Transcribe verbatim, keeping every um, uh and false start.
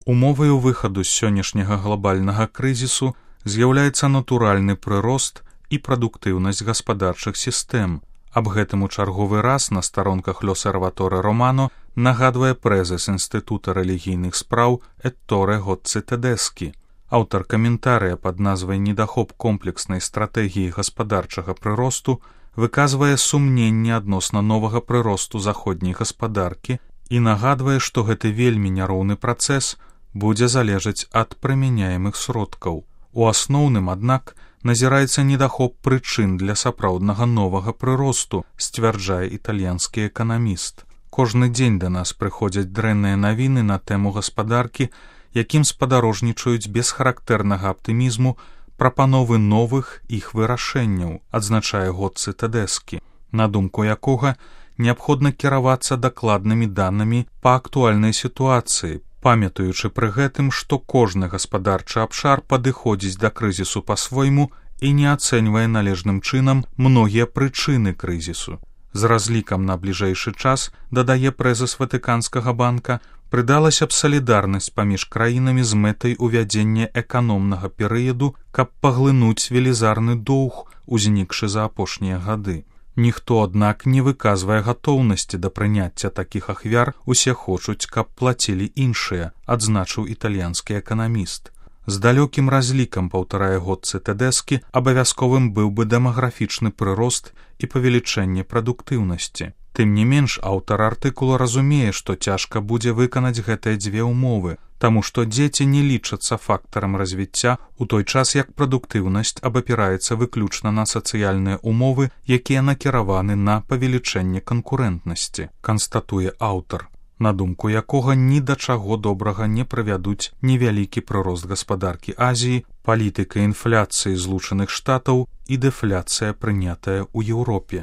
Умоваю выхаду з сённяшняга глобальнага крызісу з'яўляецца натуральны прырост і прадуктыўнасць гаспадарчых сістэм. Аб гэтым у чарговы раз на старонках L'Osservatore Romano нагадвае прэзіс Інстытута рэлігійных спраў Этторе Гоцци Тэдэскі. Аўтар каментарыя пад назвай «Недахоп комплекснай стратэгіі гаспадарчага прыросту» выказвае сумненне адносна новага прыросту заходняй гаспадаркі і нагадвае, што гэты вельмі няроўны працэс будзе залежаць ад прымяняемых сродкаў. У асноўным, аднак, назіраецца недахоп прычын для сапраўднага новага прыросту, сцвярджае італьянскі эканаміст. Кожны дзень да нас прыходзяць дрэнныя навіны на тэму гаспадаркі, якім спадарожнічаюць без характэрнага аптымізму прапановы новых іх вырашэнняў, адзначае Гоцци Тэдэскі, на думку якога неабходна кіравацца дакладнымі данымі па актуальнай сітуацыі, памятаючы пры гэтым, што кожны гаспадарчы абшар падыходзіць да крызісу па-свойму і не ацэньвае належным чынам многія прычыны крызісу. З разлікам на бліжэйшы час, дадае прэзіс Ватыканскага банка, прыдалася б салідарнасць паміж краінамі з мэтай увядзення эканомнага перыяду, каб паглынуць велізарны доўг, узнікшы за апошнія гады. Ніхто, аднак, не выказвае гатоўнасці да прыняцця такіх ахвяр, усе хочуць, каб плацілі іншыя, адзначыў італьянскі эканаміст. З далёкім разлікам, паўтарае Гоцци Тэдэскі, абавязковым быў бы дэмаграфічны прырост і павелічэнне прадуктыўнасці. Тым не менш, аўтар артыкула разумее, што цяжка будзе выканаць гэтыя дзве ўмовы, таму што дзеці не лічацца фактарам развіцця, у той час як прадуктыўнасць абапіраецца выключна на сацыяльныя ўмовы, якія накіраваны на павелічэнне канкурэнтнасці, канстатуе аўтар, на думку якога ні да чаго добрага не прывядуць невялікі прырост гаспадаркі Азіі, палітыка інфляцыі Злучаных Штатаў і дэфляцыя, прынятая ў Еўропе.